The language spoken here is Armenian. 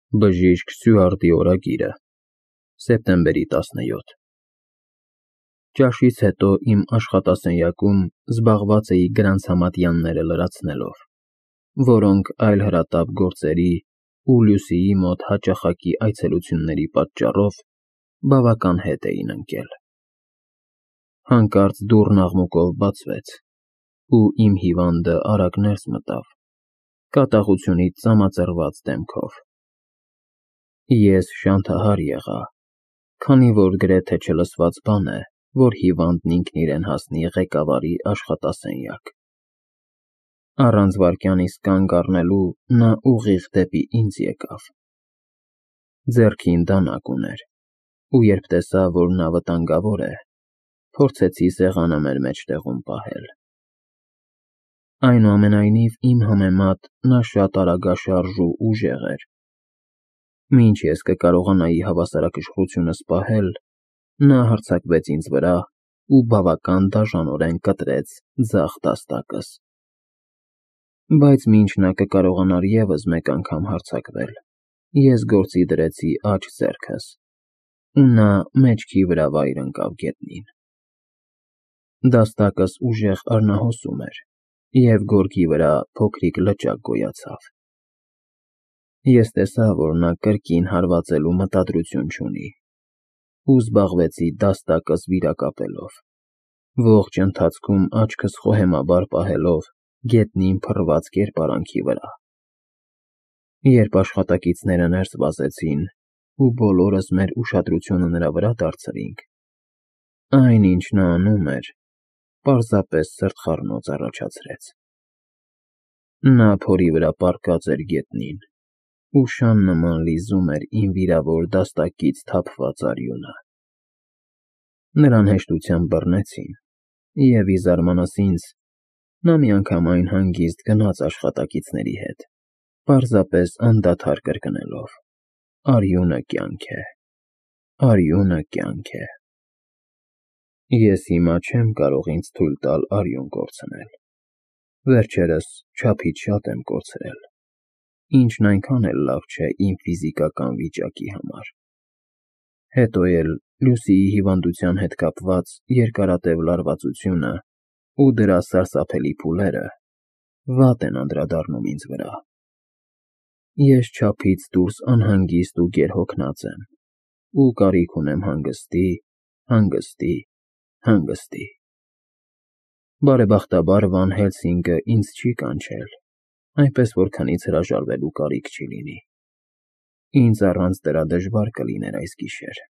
Բժիշկ Սյուարտի օրագիրը, սեպտեմբերի 17 Ճաշից հետո իմ աշխատասենյակում զբաղված էի Գրանցամատյանները լրացնելով, որոնք այլ հրատապ գործերի ու Լյուսիի մոտ հաճախակի այցելությունների պատճառով բավական հետ էին ընկել։ Հանկարծ դուռն աղմուկով բացվեց, ու իմ հիվանդը արագ ներս մտավ, կատաղությունից ծամածռված դեմքով։ Ես շանթահար եղա, քանի որ գրեթե չլսված բան է, որ հիվանդն ինքն իրեն հասնի ղեկավարի աշխատասենյակ։ Առանց վայրկյանիս կանգ առնելու նա ուղիղ դեպի ինձ եկավ։ Ձեռքին դանակ ուներ, ու երբ տեսա, որ նա վտանգավոր է, փորձեցի սեղանը մեր մեջտեղում պահել։ Այնուամենայնիվ, իմ համեմատ նա շատ արագաշարժ ու ուժեղ էր։ Մինչ ես կկարողանայի հավասարակշռությունս պահել, նա հարձակվեց ինձ վրա ու բավական դաժանորեն կտրեց ձախ դաստակս։ Բայց մինչ նա կկարողանար ևս մեկ անգամ հարձակվել, ես գործի դրեցի աջ ձեռքս, ու նա մեջքի վրա վայր ընկավ գետնին։ Դաստակս ուժեղ արնահոսում էր, և գորգի վրա փոքրիկ լճակ գոյացավ։ Ես տեսա, որ նա կրկին հարվածելու մտադրություն չունի, ու զբաղվեցի դաստակս վիրակապելով, ողջ ընթացքում աչքս խոհեմաբար պահելով գետնին փռված կերպարանքի վրա։ Երբ աշխատակիցները ներս վազեցին ու բոլորս մեր ուշադրությունը նրա վրա դարձրինք, այն, ինչ նա անում էր, պարզապես սրտխառնոց առաջացրեց։ Նա փորի վրա պառկած էր գետնին ու շան նման լիզում էր իմ վիրավոր դաստակից թափված արյունը։ Նրան հեշտությամբ բռնեցին, և, ի զարմանս ինձ, նա միանգամայն հանգիստ գնաց աշխատակիցների հետ, պարզապես անդադար կրկնելով. «Արյունը կյանք է, արյունը կյանք է»։ Ես հիմա չեմ կարող ինձ թույլ տալ արյուն կորցնել։ Վերջերս չափից շատ եմ կորցրել, ինչն այնքան էլ լավ չէ իմ ֆիզիկական վիճակի համար։ Հետո էլ Լյուսիի հիվանդության հետ կապված երկարատև լարվածությունը ու դրա սարսափելի փուլերը վատ են անդրադառնում ինձ վրա։ Ես չափից դուրս անհանգիստ ու գերհոգնած եմ ու կարիք ունեմ հանգստի, հանգստի, հանգստի։ Բարեբախտաբար Վան Հելսինգը ինձ չի կանչել, այնպես որ քնից հրաժարվելու կարիք չի լինի։ Ինձ առանց դրա դժվար կլիներ այս գիշեր։